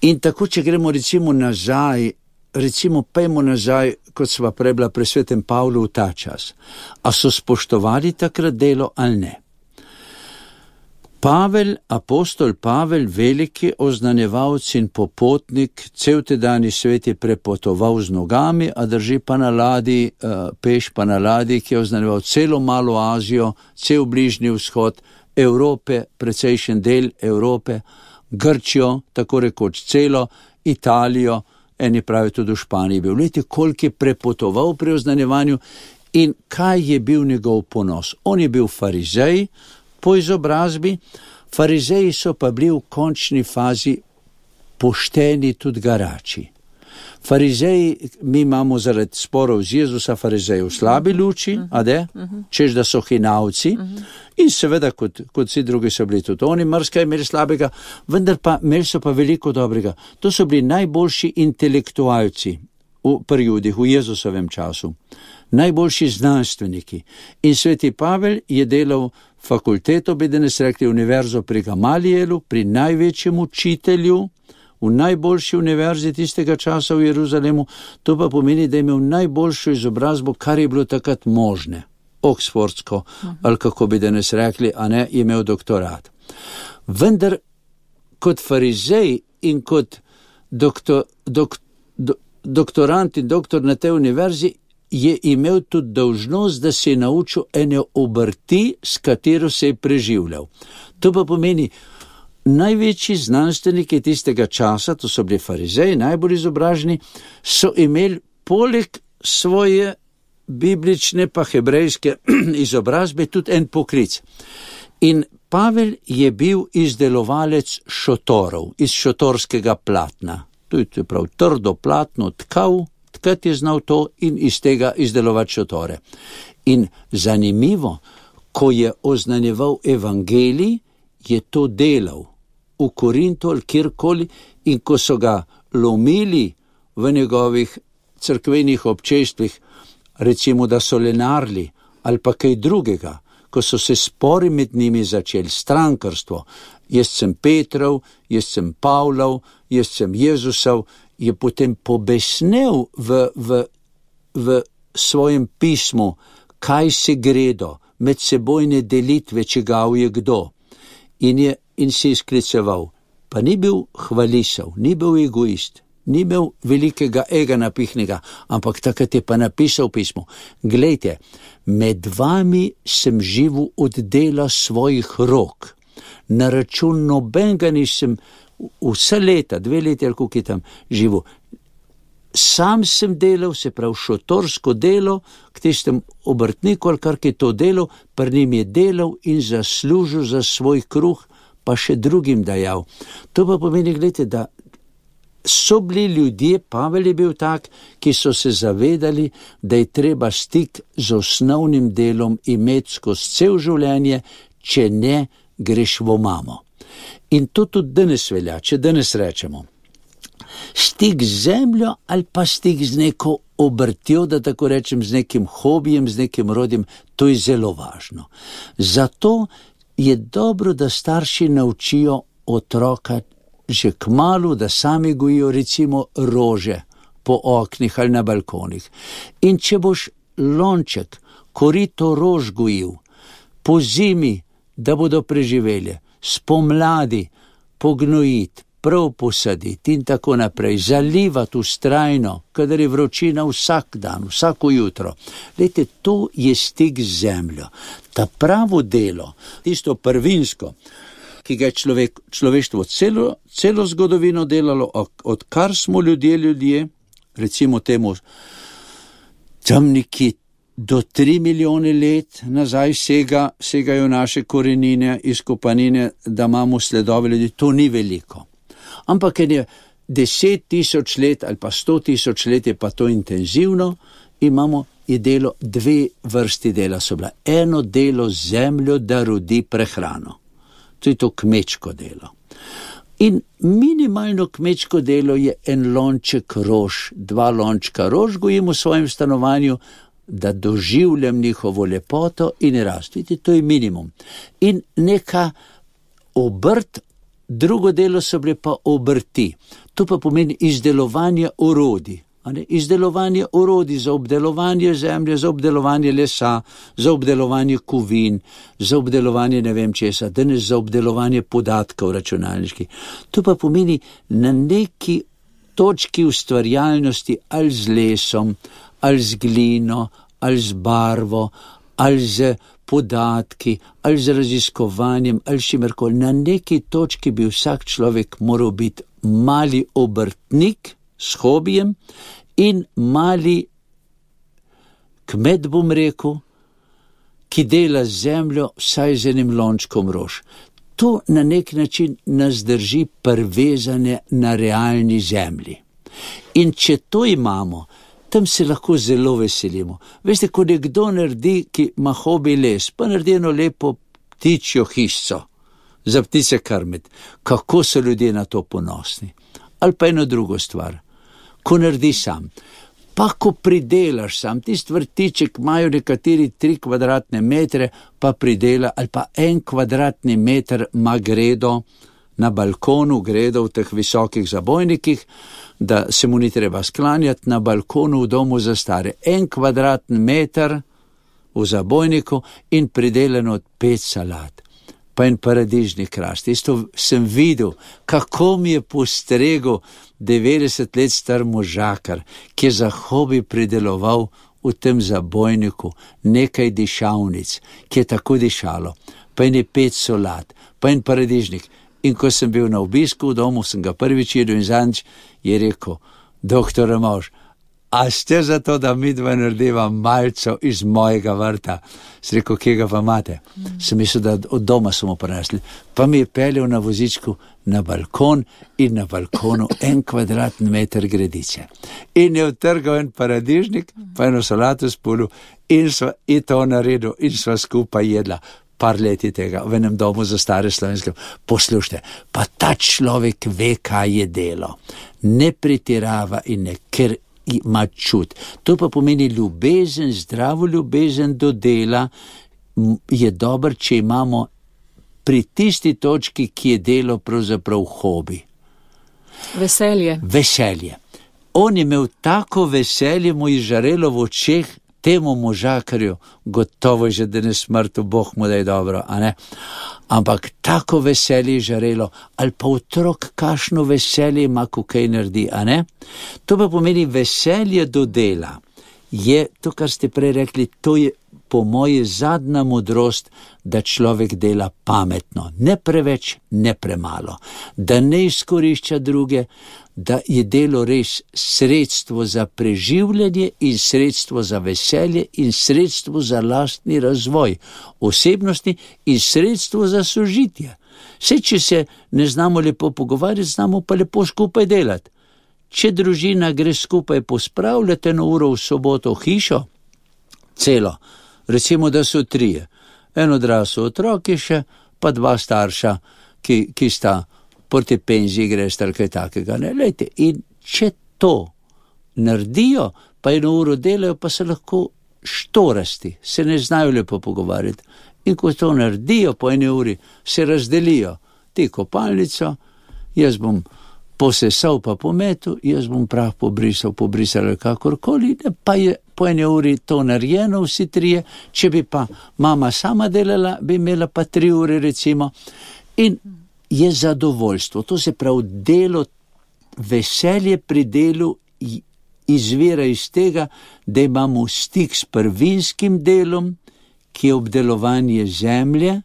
In tako, če gremo recimo nazaj, recimo pejmo nazaj, kot sva prebila pri svetem Pavlu v ta čas. A so spoštovali takrat delo ali ne? Pavel, apostol Pavel, veliki oznanjevalc in popotnik, cel tedajni svet je prepotoval z nogami, a drži pa na ladji, peš pa na ladji, ki je oznanjeval celo malo Azijo, cel bližnji vzhod, Evrope, precejšen del Evrope, Grčijo, tako rekoč celo, Italijo, eni pravi tudi v Španiji bil. Vidite, koliko je prepotoval pri oznanjevanju in kaj je bil njegov ponos. On je bil farizej po izobrazbi, farizeji so pa bili v končni fazi pošteni tudi garači. Farizeji, mi imamo zaradi sporov z Jezusa farizeji v slabi luči, a de, češ da so hinavci, in seveda kot, kot vsi drugi so bili tudi oni, mrska imeli slabega, vendar pa imeli so pa veliko dobrega. To so bili najboljši intelektualci v, pri Judih, v Jezusovem času, najboljši znanstveniki. In sveti Pavel je delal fakulteto, bi danes rekli univerzo pri Gamalijelu, pri največjem učitelju, v najboljši univerzi tistega časa v Jeruzalemu, to pa pomeni, da je imel najboljšo izobrazbo, kar je bilo takrat možne, oksfordsko, ali kako bi danes rekli, a ne, je imel doktorat. Vendar kot farizej in kot doktor, dok, do, doktorant in doktor na tej univerzi je imel tudi dolžnost, da se je naučil ene obrti, s katero se je preživljal. To pa pomeni, največji znanstveniki tistega časa, to so bili farizeji, najbolj izobraženi, so imeli poleg svoje biblične pa hebrejske izobrazbe tudi en poklic. In Pavel je bil izdelovalec šotorov, iz šotorskega platna. To je prav trdo platno tkav, tkat je znal to in iz tega izdelovati šotore. In zanimivo, ko je oznanjeval evangelij, je to delal v Korintu ali kjerkoli, in ko so ga lomili v njegovih cerkvenih občestvih, recimo da so lenarli ali pa kaj drugega, ko so se spori med njimi začeli, strankarstvo, jaz sem Petrov, jaz sem Pavlov, jaz sem Jezusov, je potem pobesnel v, v, v svojem pismu, kaj se gredo, medsebojne delitve, čigav je kdo. In, je, in se izkliceval, pa ni bil hvalisav, ni bil egoist, ni imel velikega ega napihnega, ampak takrat je pa napisal pismo, glejte, med vami sem živel od dela svojih rok, na račun nobenega nisem, vse leta, dve leti ali koliko je tam živel, sam sem delal, se pravi šotorsko delo, k tistem obrtniku ali kar je to delal, pri njim je delal in zaslužil za svoj kruh, pa še drugim dajal. To pa pomeni, gledajte, da so bili ljudje, Pavel je bil tak, ki so se zavedali, da je treba stik z osnovnim delom imeti skozi cel življenje, če ne greš v omamo. In to tudi danes velja, če danes rečemo, stik z zemljo ali pa stik z neko obrtjo, da tako rečem, z nekim hobijem, z nekim rodjem, to je zelo važno. Zato je dobro, da starši naučijo otroka že kmalu, da sami gojijo recimo rože po oknih ali na balkonih. In če boš lonček, korito rož gojil, po zimi, da bodo preživeli, spomladi pognojiti, prav posaditi in tako naprej, zalivati vztrajno, kadar je vročina vsak dan, vsako jutro. Lejte, to je stik z zemljo. Ta pravo delo, tisto prvinsko, ki ga je človek, človeštvo celo, celo zgodovino delalo, odkar smo ljudje ljudje, recimo temu tam neki do tri milijone let nazaj sega, segajo naše korenine, izkopanine, da imamo sledove ljudi, to ni veliko. Ampak je deset tisoč let ali pa sto tisoč let je pa to intenzivno, imamo je delo, dve vrsti dela so bila. Eno delo zemljo, da rodi prehrano. To je to kmečko delo. In minimalno kmečko delo je en lonček rož, dva lončka rož gojim v svojem stanovanju, da doživljam njihovo lepoto in rast. Vidite, to je minimum. In neka obrt, drugo delo so bile pa obrti. To pa pomeni izdelovanje orodij. a ne? Izdelovanje orodij za obdelovanje zemlje, za obdelovanje lesa, za obdelovanje kovin, za obdelovanje ne vem česa, danes za obdelovanje podatkov računalniških. To pa pomeni na neki točki ustvarjalnosti ali z lesom, ali z glino, ali z barvo, ali z podatki, ali z raziskovanjem, ali šimerkoli. Na neki točki bi vsak človek moral biti mali obrtnik s hobijem in mali kmet, bom rekel, ki dela zemljo vsaj z enim lončkom rož. To na nek način nas drži privezane na realni zemlji. In če to imamo, tam se lahko zelo veselimo. Veste, ko nekdo naredi, ki ima hobi les, pa naredi eno lepo ptičjo hišco za ptice krmiti, kako so ljudje na to ponosni. Ali pa eno drugo stvar, ko naredi sam. Pa ko pridelaš sam, tisti vrtiček imajo nekateri tri kvadratne metre, pa pridela, ali pa en kvadratni meter ima gredo na balkonu, gredo v teh visokih zabojnikih, da se mu ni treba sklanjati na balkonu v domu za stare. En kvadratni meter v zabojniku in pridelano od pet salat. Pa en paradižni krast. Isto sem videl, kako mi je postregel devetdeset let star možakar, ki je za hobi prideloval v tem zabojniku nekaj dišavnic, ki je tako dišalo. Pa en je pet solat, pa en paradižnik. In ko sem bil na obisku v domu, sem ga prvič jedel in zadnjič, je rekel, doktor Mož, a ste za to, da mi dva narediva malco iz mojega vrta? Sem rekel, kje ga pa imate? Mm. Sem mislil, da od doma smo prinesli. Pa mi je peljal na vozičku na balkon in na balkonu en kvadratni meter gredice. In je utrgal en paradižnik, pa eno solato spolil in sva in to naredil in sva skupaj jedla. Par leti tega, v enem domu za stare slovenske. Poslušajte, pa ta človek ve, kaj je delo. Ne pretirava in ne, ker ima čut. To pa pomeni ljubezen, zdravo ljubezen do dela je dober, če imamo pri tisti točki, ki je delo pravzaprav hobi. Veselje. Veselje. On je imel tako veselje, mu je žarelo v očeh, temu možakarju, gotovo že da ne smrtu, Bog mu da je dobro, a ne? Ampak tako veselje je žarelo, ali pa otrok kakšno veselje ima, ko kaj naredi, a ne? To pa pomeni veselje do dela. Je to, kar ste prej rekli, to je po moje zadnja modrost, da človek dela pametno, ne preveč, ne premalo, da ne izkorišča druge, da je delo res sredstvo za preživljanje in sredstvo za veselje in sredstvo za lastni razvoj osebnosti in sredstvo za sožitje. Saj, če se ne znamo lepo pogovarjati, znamo pa lepo skupaj delati. Če družina gre skupaj pospravljati eno uro v soboto v hišo, celo, recimo, da so trije, en odrasel otrok je še, pa dva starša, ki, ki sta proti penziji greš ali kaj takega, ne, lejte, in če to naredijo, pa eno uro delajo, pa se lahko štorasti, se ne znajo lepo pogovarjati, in ko to naredijo po eni uri, se razdelijo, ti kopalnico, jaz bom posesal pa pometu, jaz bom prah pobrisal, pobrisal kakorkoli, pa je po eni uri to narejeno vsi trije, če bi pa mama sama delala, bi imela pa tri ure recimo, in je zadovoljstvo, to se pravi delo, veselje pri delu izvira iz tega, da imamo stik s prvinskim delom, ki je obdelovanje zemlje,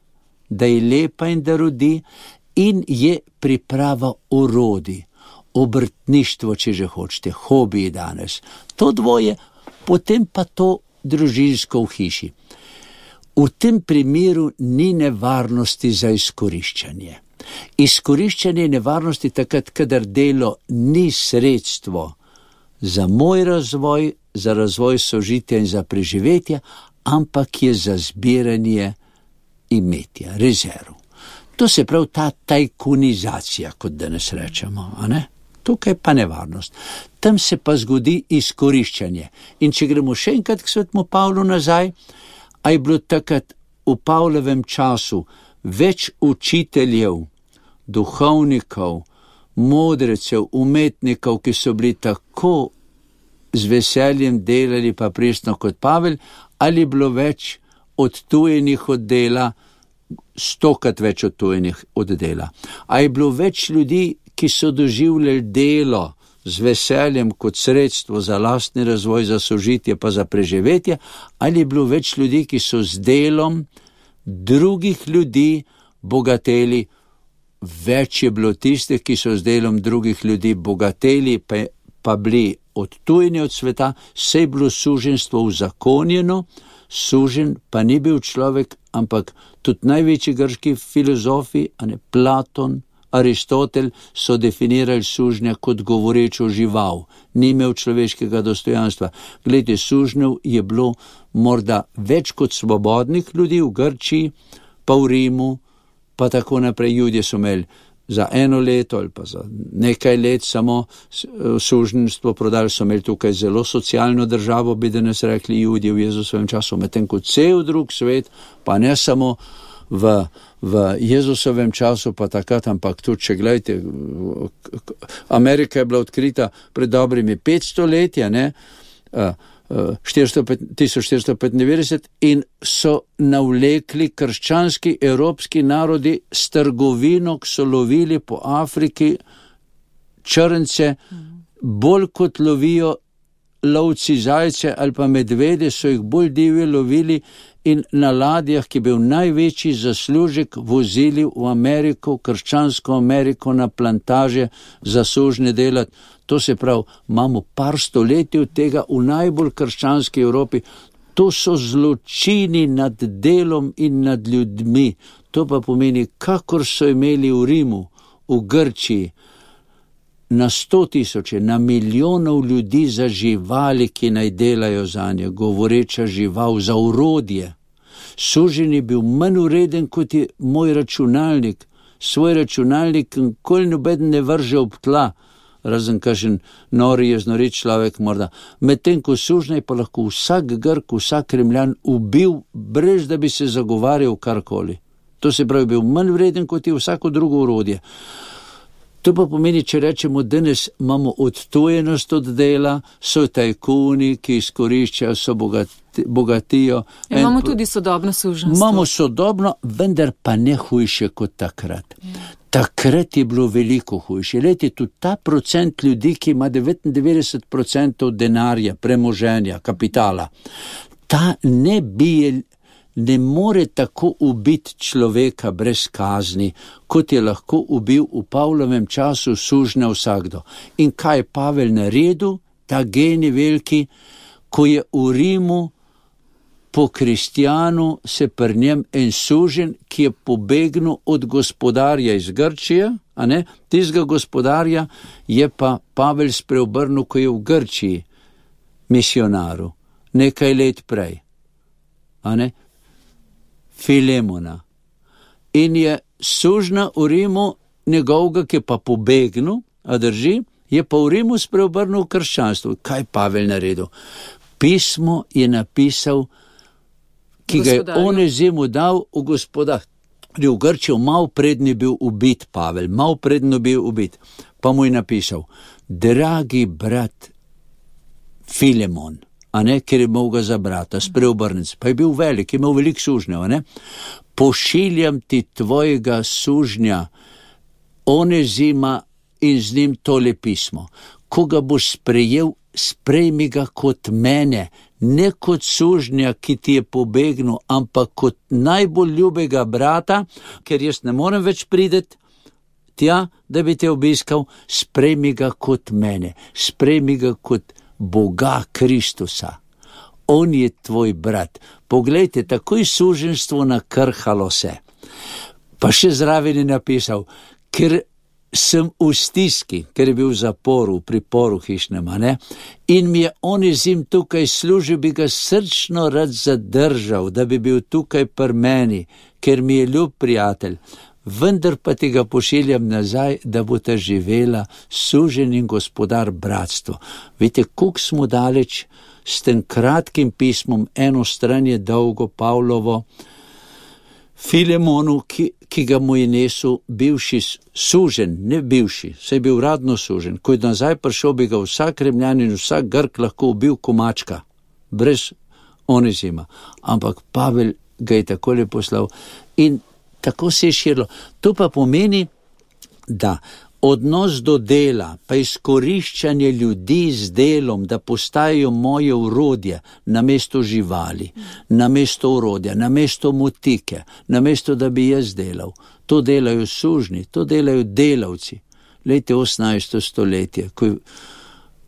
da je lepa in da rodi, in je priprava orodij, obrtništvo, če že hočete, hobiji danes. To dvoje, potem pa to družinsko v hiši. V tem primeru ni nevarnosti za izkoriščanje. Izkoriščanje nevarnosti takrat, kadar delo ni sredstvo za moj razvoj, za razvoj sožitja in za preživetje, ampak je za zbiranje imetja, rezerv. To se pravi ta tajkunizacija, kot danes rečemo, a ne? Tukaj pa nevarnost. Tam se pa zgodi izkoriščanje. In če gremo še enkrat k svetemu Pavlu nazaj, a je bilo takrat v Pavlovem času več učiteljev, duhovnikov, modrecev, umetnikov, ki so bili tako z veseljem delali pa pristno kot Pavel, ali je bilo več odtujenih od dela, stokrat več odtujenih od dela. A je bilo več ljudi, ki so doživljali delo z veseljem kot sredstvo za lastni razvoj, za sožitje pa za preživetje, ali je bilo več ljudi, ki so z delom drugih ljudi bogateli. Več je bilo tistih, ki so z delom drugih ljudi bogateli, pa, pa bili odtujeni od sveta, saj je bilo suženjstvo uzakonjeno, sužen pa ni bil človek, ampak tudi največji grški filozofi, a ne Platon, Aristotel, so definirali sužnja kot govorečo žival, ni imel človeškega dostojanstva. Glejte, sužnjev je bilo morda več kot svobodnih ljudi v Grčiji, pa v Rimu, pa tako naprej. Judje so imeli za eno leto ali pa za nekaj let samo suženjstvo prodali, so imeli tukaj zelo socialno državo, bi danes rekli Judje v Jezusovem času, medtem kot cel drug svet, pa ne samo v, v Jezusovem času, pa takrat, ampak tudi, če gledajte, Amerika je bila odkrita pred dobrimi petsto letja, ne, tisoč štiristo petindevetdeset, in so navlekli krščanski evropski narodi s trgovino, ki so lovili po Afriki črnce, bolj kot lovijo lovci zajce ali pa medvede, so jih bolj divje lovili in na ladjah, ki je bil največji zaslužek, vozili v Ameriko, krščansko Ameriko, na plantaže za sužnje delati. To se pravi, imamo par stoletij od tega v najbolj krščanski Evropi. To so zločini nad delom in nad ljudmi. To pa pomeni, kakor so imeli v Rimu, v Grčiji, na sto tisoče, na milijonov ljudi za živali, ki naj delajo za nje, govoreča žival, za urodje. Suženj je bil manj ureden kot je moj računalnik. Svoj računalnik nikoli nobeden ne vrže ob tla, razen kakšen nori je znorit človek morda. Medtem ko sužnja pa lahko vsak Grk, vsak Rimljan ubil, brez da bi se zagovarjal karkoli. To se pravi, bil manj vreden kot je vsako drugo urodje. To pa pomeni, če rečemo, danes imamo odtujenost od dela, so tajkuni, ki izkoriščajo, so bogati, bogatijo. Ja, imamo tudi sodobno suženjstvo. Imamo sodobno, vendar pa ne hujše kot takrat. Ja. Takrat je bilo veliko hujše. Lejte, tudi ta procent ljudi, ki ima devetindevetdeset procentov denarja, premoženja, kapitala, ta ne bije, ne more tako ubiti človeka brez kazni, kot je lahko ubil v Pavlovem času sužnja vsakdo. In kaj je Pavel naredil, ta genij veliki, ko je v Rimu po kristjanu se pri njem en suženj, ki je pobegnil od gospodarja iz Grčije, a ne, tistega gospodarja je pa Pavel spreobrnil, ko je v Grčiji misionaru, nekaj let prej, a ne, Filemona. In je sužnja v Rimu njegovega, ki je pa pobegnil, a drži, je pa v Rimu spreobrnil krščanstvo. Kaj Pavel naredil? Pismo je napisal, ki ga je Onezimu dal v gospodarju v Grčiji, mal predni bil ubit Pavel, mal predno bil ubit. Pa mu je napisal, dragi brat Filemon, a ne, ker je imel ga za brata, spreobrnec, pa je bil velik, je imel velik sužnjev, a ne, pošiljam ti tvojega sužnja Onezima in z njim tole pismo. Ko ga boš sprejel, sprejmi ga kot mene, ne kot sužnja, ki ti je pobegnil, ampak kot najbolj ljubega brata, ker jaz ne morem več prideti tja, da bi te obiskal, sprejmi ga kot mene, sprejmi ga kot Boga Kristusa. On je tvoj brat. Poglejte, takoj suženjstvo nakrhalo se. Pa še zraven je napisal, ker sem v stiski, ker je bil v zaporu, v priporu hišnem, ne? In mi je Onezim tukaj služil, bi ga srčno rad zadržal, da bi bil tukaj pri meni, ker mi je ljub prijatelj. Vendar pa ti ga pošiljam nazaj, da bo ta živela suženj in gospodar bratstvo. Vidite, koliko smo daleč s tem kratkim pismom, eno stran je dolgo Pavlovo, Filemonu, ki, ki ga mu je nesel bivši sužen, ne bivši, saj je bil radno sužen, ko je nazaj prišel, bi ga vsak Rimljanin, vsak Grk lahko ubil komačka, brez Onezima. Ampak Pavel ga je takole poslal in tako se je širilo. To pa pomeni, da odnos do dela, pa izkoriščanje ljudi z delom, da postajajo moje urodje namesto živali, namesto urodja, namesto motike, namesto da bi jaz delal. To delajo sužni, to delajo delavci. Lejte osemnajsto stoletje, ko je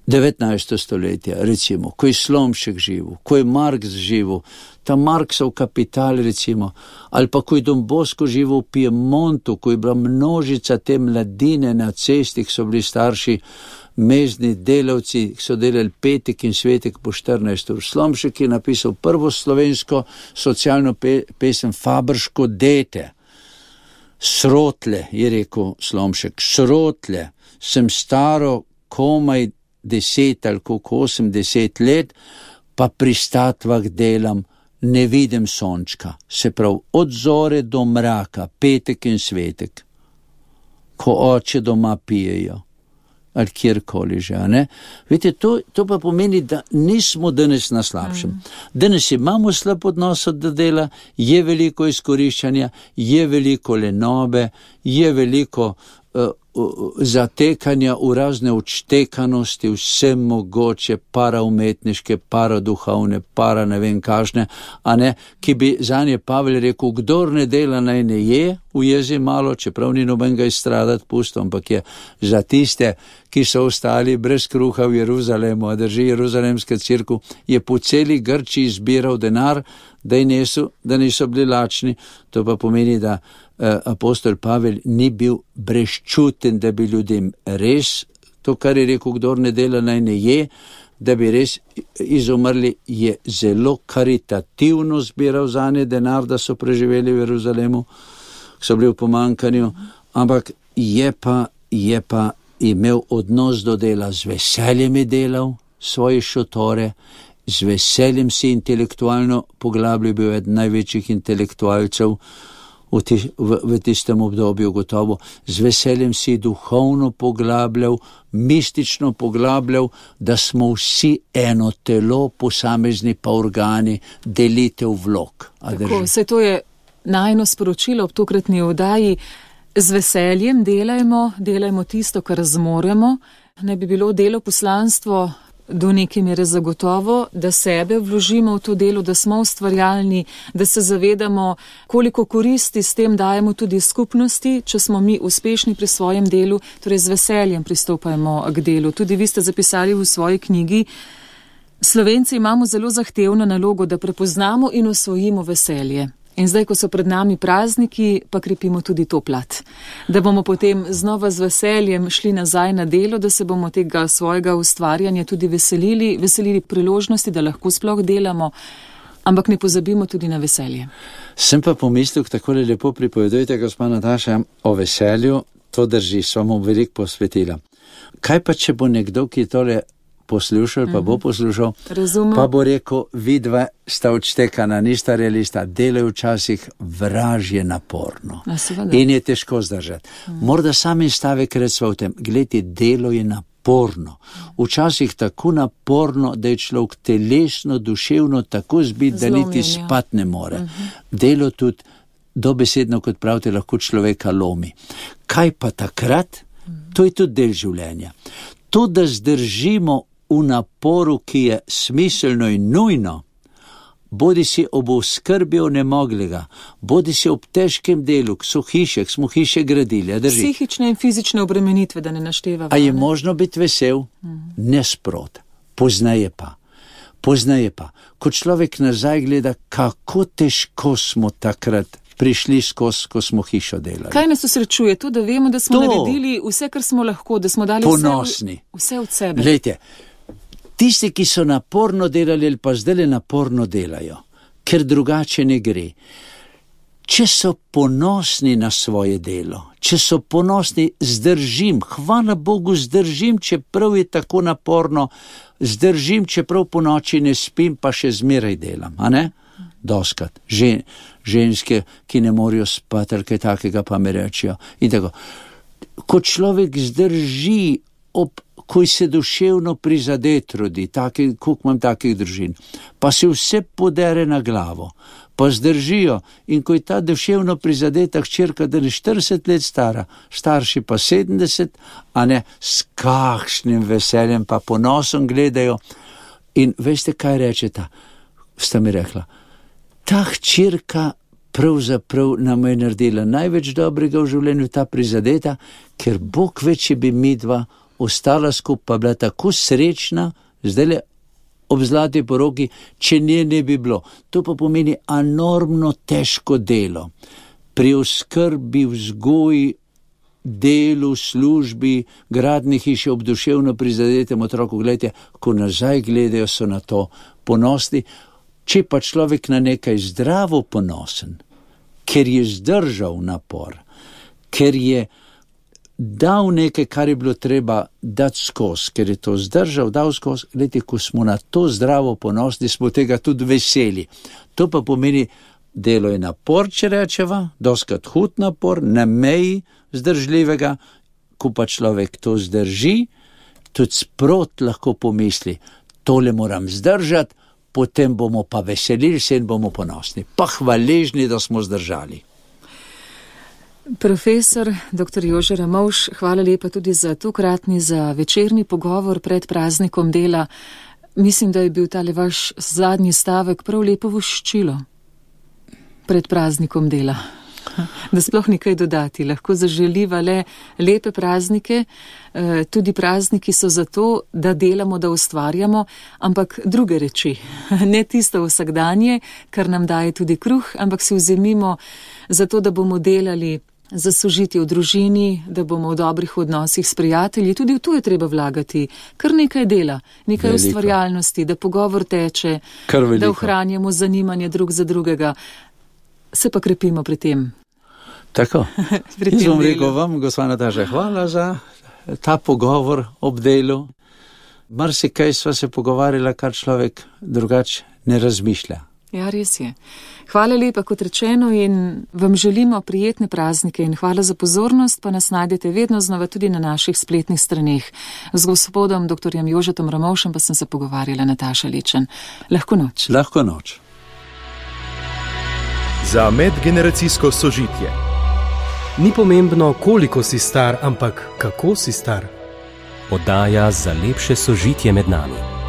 devetnajsto stoletje, recimo, ko je Slomšek živel, ko je Marks živel, ta Marksov Kapital, recimo, ali pa ko je Don Bosco živel v Piemontu, ko je bila množica te mladine na cesti, ki so bili starši mezni delavci, ki so delali petek in svetek po štirinajst ur. Slomšek je napisal prvo slovensko socialno pe- pesem Fabrško dete. Srotle, je rekel Slomšek, srotle, sem staro komaj deset ali koliko osem, deset let, pa pri statvah delam, ne vidim sončka, se pravi od zore do mraka, petek in svetek, ko oče doma pijejo, ali kjerkoli že, a ne? Vidite, to, to pa pomeni, da nismo danes na slabšem. Mm. Danes imamo slab odnos do dela, je veliko izkoriščanja, je veliko lenobe, je veliko uh, zatekanja v razne odštekanosti, vse mogoče paraumetniške, paraduhovne, para ne vem kažne, a ne, ki bi zanje Pavel rekel, kdor ne dela naj ne je, ujezi malo, čeprav ni nobenega izstradati pusto, ampak je za tiste, ki so ostali brez kruha v Jeruzalemu, a drži Jeruzalemska cerkev, je po celi Grčiji zbiral denar, da, nesu, da niso bili lačni. To pa pomeni, da eh, apostol Pavel ni bil brezčuten, da bi ljudem res, to, kar je rekel, kdor ne dela naj ne je, da bi res izumrli, je zelo karitativno zbiral zanje denar, da so preživeli v Jeruzalemu, so bili v pomankanju, ampak je pa, je pa imel odnos do dela, z veseljem je delal svoje šotore, z veseljem si intelektualno poglabljal, bil eden največjih intelektualcev v, ti, v, v tistem obdobju gotovo, z veseljem si duhovno poglabljal, mistično poglabljal, da smo vsi eno telo, posamezni pa organi, delitev vlog. Tako, vse to je najno sporočilo ob tokratni oddaji. Z veseljem delajmo, delajmo tisto, kar zmoremo. Ne bi bilo delo poslanstvo do neke mere zagotovo, da sebe vložimo v to delo, da smo ustvarjalni, da se zavedamo, koliko koristi s tem dajemo tudi skupnosti, če smo mi uspešni pri svojem delu, torej z veseljem pristopajmo k delu. Tudi vi ste zapisali v svoji knjigi, Slovenci imamo zelo zahtevno nalogo, da prepoznamo in osvojimo veselje. In zdaj, ko so pred nami prazniki, pa krepimo tudi to plat. Da bomo potem znova z veseljem šli nazaj na delo, da se bomo tega svojega ustvarjanja tudi veselili, veselili priložnosti, da lahko sploh delamo, ampak ne pozabimo tudi na veselje. Sem pa pomislil, takole lepo pripovedujete, gospa Nataša, o veselju, to drži, sva mu veliko posvetila. Kaj pa, če bo nekdo, ki tole poslušal, pa bo poslušal, Razumem. Pa bo rekel, vidva sta odštekana, nista realista, delajo včasih vražje naporno. In je težko zdržati. Mm. Morda sami stavek recva v tem, gledajte, delo je naporno. Včasih tako naporno, da je človek telesno, duševno tako zbit, da niti spat ne more. Mm-hmm. Delo tudi dobesedno, kot pravite, lahko človeka lomi. Kaj pa takrat? Mm. To je tudi del življenja. To, da zdržimo v naporu, ki je smiselno in nujno, bodi si ob oskrbi onemoglega, bodi si ob težkem delu, k so hiše, k smo hiše gradili. Psihične in fizične obremenitve, da ne našteva. A je možno biti vesel? Mm. Nesprot. Poznaje pa. Poznaje pa. Ko človek nazaj gleda, kako težko smo takrat prišli skozi, ko smo hišo delali. Kaj nas usrečuje? To, da vemo, da smo to. naredili vse, kar smo lahko, da smo dali ponosni. Vse, vse od sebe. Glejte, tisti, ki so naporno delali ali pa zdaj naporno delajo, ker drugače ne gre. Če so ponosni na svoje delo, če so ponosni, zdržim, hvala Bogu, zdržim, čeprav je tako naporno, zdržim, čeprav po noči ne spim, pa še zmeraj delam, a ne? doskrat. Žen, ženske, ki ne morejo spati ali kaj takega, pa mi rečejo. In tako. Ko človek zdrži, ob, ko se duševno prizadet rodi, koliko imam takih družin, pa se vse podere na glavo, pa zdržijo, in ko je ta duševno prizadeta hčerka, da je štirideset let stara, starši pa sedemdeset, a ne, s kakšnim veseljem pa ponosom gledajo. In veste, kaj rečeta? Sta mi rekla, ta hčerka pravzaprav nam je naredila največ dobrega v življenju, ta prizadeta, ker Bog več je bi midva ostala skupaj, bila tako srečna, zdajle ob zlati poroki, če nje ne bi bilo. To pa pomeni enormno težko delo. Pri oskrbi, vzgoji, delu, službi, gradni hiši ob duševno prizadetem otroku, gledajte, ko nazaj gledajo, so na to ponosni. Če pa človek na nekaj zdravo ponosen, ker je zdržal napor, ker je dal nekaj, kar je bilo treba dati skozi, ker je to zdržal, dal skozi, gledajte, ko smo na to zdravo ponosni, smo tega tudi veseli. To pa pomeni, delo je napor, če rečeva, doskrat hud napor, na meji zdržljivega, ko pa človek to zdrži, tudi sprot lahko pomisli, tole moram zdržati, potem bomo pa veselili se in bomo ponosni, pa hvaležni, da smo zdržali. Profesor doktor Jože Ramovš, hvala lepa tudi za tokratni, za večerni pogovor pred praznikom dela. Mislim, da je bil tale vaš zadnji stavek prav lepo voščilo pred praznikom dela. Da sploh nekaj dodati, lahko zaželiva le lepe praznike, tudi prazniki so zato, da delamo, da ustvarjamo, ampak druge reči, ne tisto vsakdanje, kar nam daje tudi kruh, ampak si vzemimo zato, da bomo delali za sožitje v družini, da bomo v dobrih odnosih s prijatelji, tudi v to je treba vlagati, kar nekaj dela, nekaj veliko ustvarjalnosti, da pogovor teče, da ohranjamo zanimanje drug za drugega, se pa krepimo pri tem. Tako. Jaz bom rekel vam, gospa Nataša, hvala za ta pogovor ob delu. Marsikaj sva se pogovarjala, kar človek drugače ne razmišlja. Ja, res je. Hvala lepa, kot rečeno, in vam želimo prijetne praznike in hvala za pozornost, pa nas najdete vedno znova tudi na naših spletnih straneh. Z gospodom doktorjem Jožetom Ramovšem pa sem se pogovarjala Nataša Lečen. Lahko noč. Lahko noč. Za medgeneracijsko sožitje. Ni pomembno, koliko si star, ampak kako si star. Oddaja za lepše sožitje med nami.